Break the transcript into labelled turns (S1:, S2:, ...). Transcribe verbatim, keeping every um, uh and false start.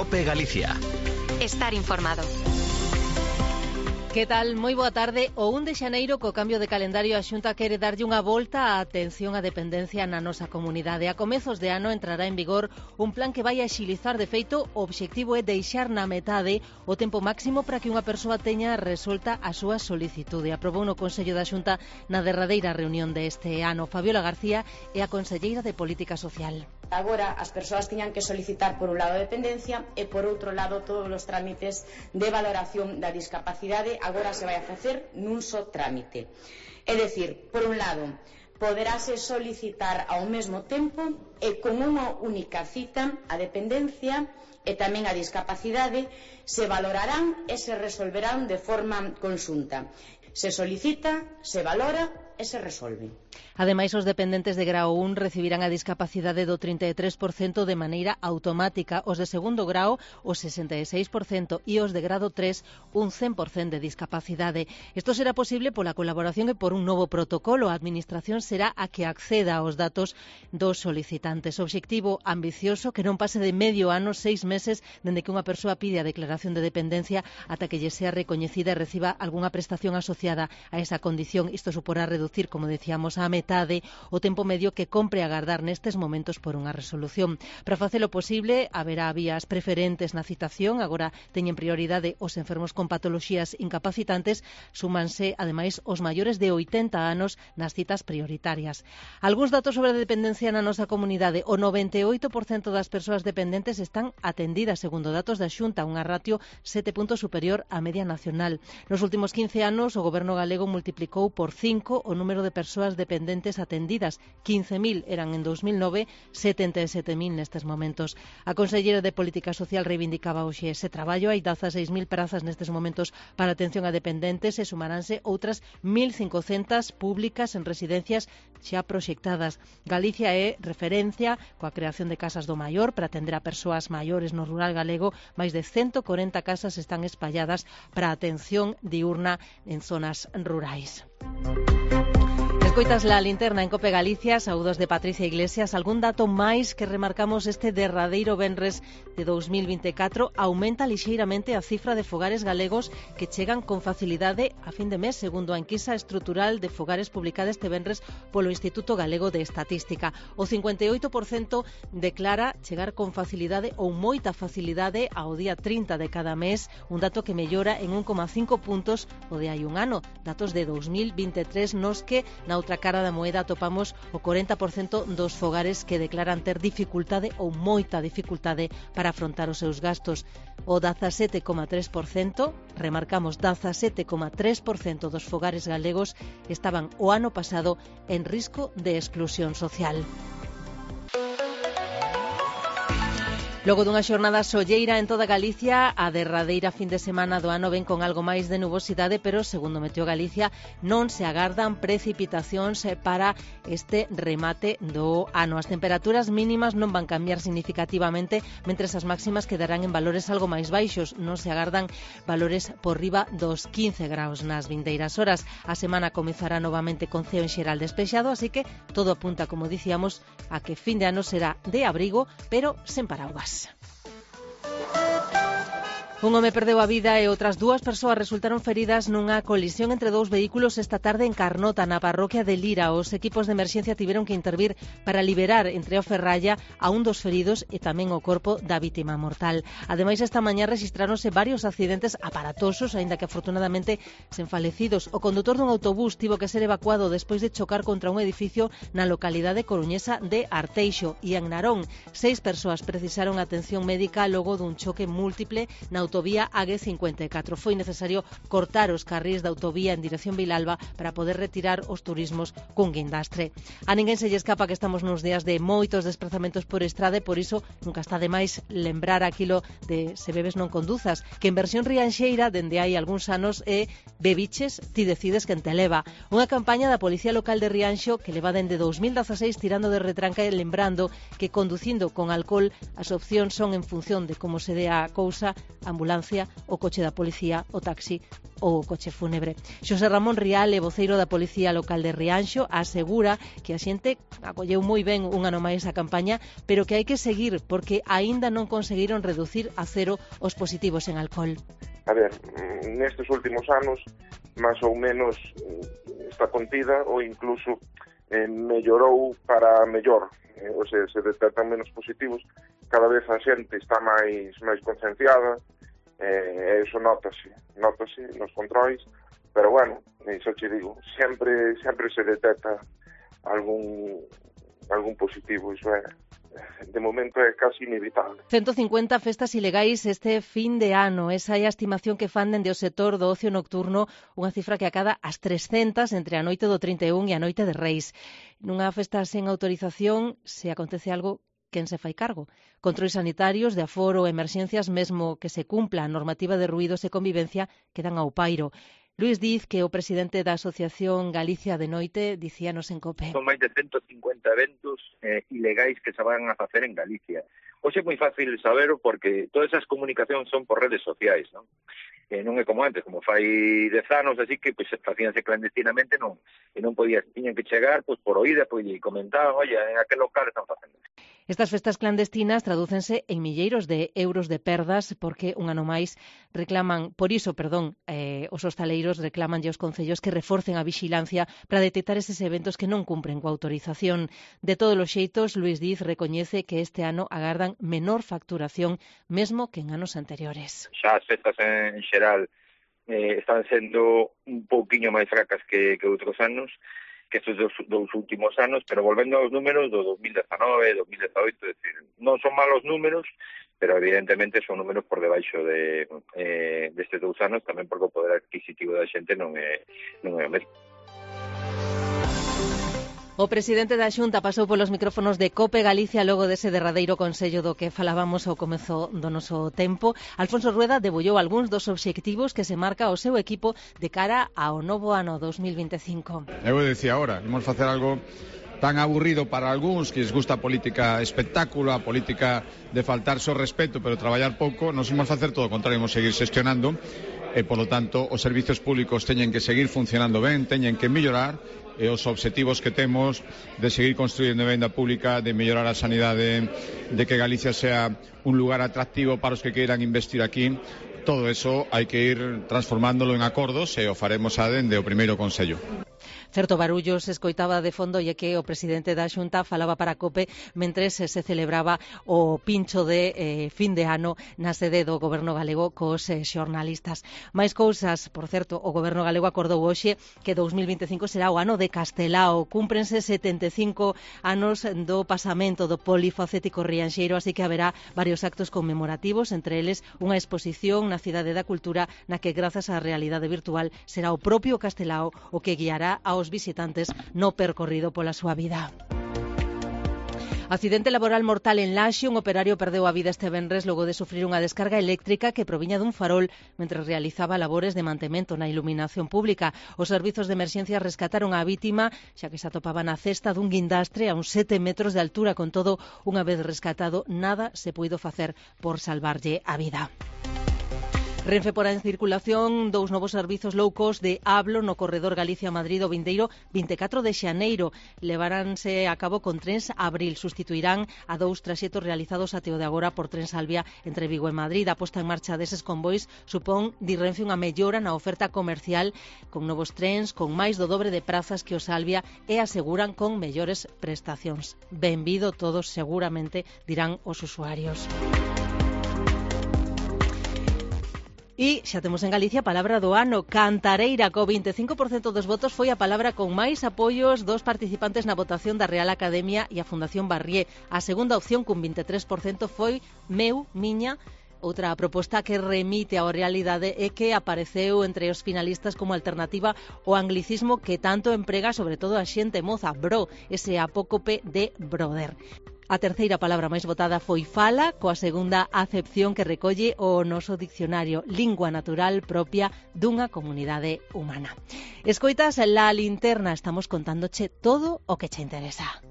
S1: COPE Galicia.
S2: Estar informado.
S3: Que tal? Moi boa tarde. O un de xaneiro, co cambio de calendario, a Xunta quere darlle unha volta á atención á dependencia na nosa comunidade. A comezos de ano entrará en vigor un plan que vai a axilizar. De feito, o obxectivo é deixar na metade o tempo máximo para que unha persoa teña resolta a súa solicitude. Aprobou no Consello da Xunta na derradeira reunión deste ano. Fabiola García é a conselleira de Política Social.
S4: Agora as persoas tiñan que solicitar por un lado a dependencia e por outro lado todos os trámites de valoración da discapacidade agora se vai a facer nun só trámite. É dicir, por un lado, poderase solicitar ao mesmo tempo e con unha única cita a dependencia e tamén a discapacidade se valorarán e se resolverán de forma conxunta. Se solicita, se valora e se resolve.
S3: Ademais, os dependentes de grao un recibirán a discapacidade do trinta e tres por cento de maneira automática, os de segundo grao o sesenta e seis por cento e os de grado tres un cen por cento de discapacidade. Isto será posible pola colaboración e por un novo protocolo. A Administración será a que acceda aos datos dos solicitantes. Obxectivo ambicioso que non pase de medio ano, seis meses, dende que unha persoa pide a declaración de dependencia ata que lle sea recoñecida e reciba algunha prestación asociada a esa condición. Isto suporá reducir, como decíamos, a metade o tempo medio que compre agardar nestes momentos por unha resolución. Para facelo posible, haberá vías preferentes na citación. Agora teñen prioridade os enfermos con patoloxías incapacitantes. Súmanse, ademais, os maiores de oitenta anos nas citas prioritarias. Algúns datos sobre a dependencia na nosa comunidade. O noventa e oito por cento das persoas dependentes están atendidas, segundo datos da Xunta, unha ratio sete puntos superior á media nacional. Nos últimos quince anos, o Goberno galego multiplicou por cinco o número de persoas dependentes atendidas. quince mil eran en dos mil nove, setenta e sete mil nestes momentos. A conselleira de Política Social reivindicaba hoxe ese traballo. Hai dezaseis mil prazas nestes momentos para atención a dependentes e sumaránse outras mil cincocentas públicas en residencias xa proxectadas. Galicia é referencia coa creación de casas do maior para atender a persoas maiores no rural galego. Máis de ciento corenta casas están espalladas para a atención diurna en zonas rurais. Escoitas la linterna en COPE Galicia. Saúdos de Patricia Iglesias. Algún dato máis que remarcamos este derradeiro venres de dos mil vinte e catro? Aumenta lixeiramente a cifra de fogares galegos que chegan con facilidade a fin de mes, segundo a enquisa estrutural de fogares publicada este venres polo Instituto Galego de Estatística. O cincuenta e oito por cento declara chegar con facilidade ou moita facilidade ao día trinta de cada mes, un dato que mellora en un coma cinco puntos o de hai un ano. Datos de dos mil vinte e tres nos que na outra cara da moeda atopamos o corenta por cento dos fogares que declaran ter dificultade ou moita dificultade para afrontar os seus gastos. O dezasete coma tres por cento, remarcamos, dezasete coma tres por cento dos fogares galegos estaban o ano pasado en risco de exclusión social. Logo dunha xornada solleira en toda Galicia, a derradeira fin de semana do ano ven con algo máis de nubosidade, pero, segundo Meteo Galicia, non se agardan precipitacións para este remate do ano. As temperaturas mínimas non van cambiar significativamente, mentres as máximas quedarán en valores algo máis baixos. Non se agardan valores por riba dos quince graus nas vindeiras horas. A semana comezará novamente con ceo en xeral despexado, así que todo apunta, como dicíamos, a que fin de ano será de abrigo, pero sen paraguas. Un home perdeu a vida e outras dúas persoas resultaron feridas nunha colisión entre dous vehículos esta tarde en Carnota, na parroquia de Lira. Os equipos de emerxencia tiveron que intervir para liberar entre o ferralla a un dos feridos e tamén o corpo da vítima mortal. Ademais, esta mañá rexistráronse varios accidentes aparatosos, aínda que afortunadamente sen falecidos. O condutor dun autobús tivo que ser evacuado despois de chocar contra un edificio na localidade coruñesa de Arteixo. E en Narón, seis persoas precisaron atención médica logo dun choque múltiple na autovía A G cincuenta e catro. Foi necesario cortar os carrís da autovía en dirección Vilalba para poder retirar os turismos cun guindastre. A ninguén se lle escapa que estamos nos días de moitos desplazamentos por estrada e por iso nunca está de máis lembrar aquilo de se bebes non conduzas, que en versión rianxeira dende hai algúns anos é bebiches, ti decides quen te leva. Unha campaña da Policía Local de Rianxo que leva dende dos mil dezaseis tirando de retranca e lembrando que conducindo con alcohol as opcións son en función de como se dé a cousa a ambulancia, o coche da policía, o taxi ou o coche fúnebre. Xosé Ramón Rial, é voceiro da Policía Local de Rianxo, asegura que a xente acolleu moi ben un ano máis a campaña, pero que hai que seguir porque aínda non conseguiron reducir a cero os positivos en alcohol.
S1: A ver, nestes últimos anos, máis ou menos está contida ou incluso eh, mellorou para mellor, eh, ou sea, se detectan menos positivos, cada vez a xente está máis máis concienciada, eh, eso notase, notase nos controis, pero bueno, iso che digo, sempre sempre se detecta algún algún positivo, iso é, de momento é casi inevitable.
S3: ciento cincuenta festas ilegais este fin de ano. Esa é a estimación que fan dende o sector do ocio nocturno, unha cifra que acada as trescentas entre a noite do trinta e un e a noite de Reis. Nunha festa sen autorización, se acontece algo, quen se fai cargo? Controis sanitarios, de aforo, emerxencias, mesmo que se cumpla a normativa de ruídos e convivencia, quedan ao pairo. Luís Diz, que é o presidente da Asociación Galicia de Noite, dicíanos en COPE.
S5: Son máis de ciento cincuenta eventos eh, ilegais que se van a facer en Galicia. Hoxe é moi fácil saberlo porque todas esas comunicacións son por redes sociais, non? Eh, non é como antes, como fai dez anos, así que pois, facíanse clandestinamente, non, e non podías, tiñan que chegar pois, por oída, pois, e comentaban, oye, en aquel local están facendo.
S3: Estas festas clandestinas tradúcense en milleiros de euros de perdas porque un ano máis reclaman, por iso, perdón, eh, os hostaleiros reclaman aos concellos que reforcen a vixilancia para detectar eses eventos que non cumpren coa autorización. De todos os xeitos, Luís Diz recoñece que este ano agardan menor facturación mesmo que en anos anteriores.
S5: Xa as festas en xeral eh, están sendo un pouquiño máis fracas que, que outros anos, que estes dos, dos últimos anos, pero volvendo aos números do dos mil dezanove, dos mil dezaoito, é dicir, non son malos números, pero evidentemente son números por debaixo de eh, destes dous anos, tamén porque o poder adquisitivo da xente non é, non é o mesmo.
S3: O presidente da Xunta pasou polos micrófonos de COPE Galicia logo dese derradeiro consello do que falábamos ao comezo do noso tempo. Alfonso Rueda debullou algúns dos obxectivos que se marca o seu equipo de cara ao novo ano dos mil vinte e cinco.
S6: Eu decía agora, imos facer algo tan aburrido para algúns que les gusta a política espectáculo, a política de faltar so respeto pero traballar pouco. Nos imos facer todo o contrario, imos seguir xestionando e, polo tanto, os servizos públicos teñen que seguir funcionando ben, teñen que mellorar, e os obxectivos que temos de seguir construindo venda pública, de mellorar a sanidade, de que Galicia sea un lugar atractivo para os que queiran investir aquí, todo eso hai que ir transformándolo en acordos e o faremos a dende o primeiro Consello.
S3: Certo barullo se escoitaba de fondo e que o presidente da Xunta falaba para COPE mentres se celebraba o pincho de eh, fin de ano na sede do Goberno galego cos eh, xornalistas. Mais cousas, por certo, o Goberno galego acordou hoxe que dous mil vinte e cinco será o ano de Castelao. Cúmprense setenta e cinco anos do pasamento do polifacético rianxeiro, así que haberá varios actos conmemorativos, entre eles unha exposición na Cidade da Cultura na que, grazas á realidade virtual, será o propio Castelao o que guiará aos visitantes no percorrido pola súa vida. Accidente laboral mortal en Laxe. Un operario perdeu a vida este venres logo de sufrir unha descarga eléctrica que proviña dun farol mentre realizaba labores de mantemento na iluminación pública. Os servizos de emerxencia rescataron a vítima, xa que se atopaba na cesta dun guindastre a uns sete metros de altura. Con todo, unha vez rescatado, nada se puido facer por salvarlle a vida. Renfe porá en circulación dous novos servizos low cost de Ablo no corredor Galicia-Madrid o vindeiro vinte e catro de xaneiro. Levaránse a cabo con trens Abril. Sustituirán a dous traxetos realizados até o de agora por Tren Salvia entre Vigo e Madrid. A posta en marcha deses convois supón, di Renfe, unha mellora na oferta comercial con novos trens, con máis do dobre de prazas que o Salvia e aseguran con mellores prestacións. Benvido todos, seguramente, dirán os usuarios. E xa temos en Galicia a palabra do ano, cantareira. Co vinte e cinco por cento dos votos foi a palabra con máis apoios dos participantes na votación da Real Academia e a Fundación Barrié. A segunda opción, con vinte e tres por cento, foi meu, miña. Outra proposta que remite á realidade é que apareceu entre os finalistas como alternativa o anglicismo que tanto emprega sobre todo a xente moza, bro, ese apócope de brother. A terceira palabra máis votada foi fala, coa segunda acepción que recolle o noso diccionario, lingua natural propia dunha comunidade humana. Escoitas La Linterna, estamos contándoche todo o que che interesa.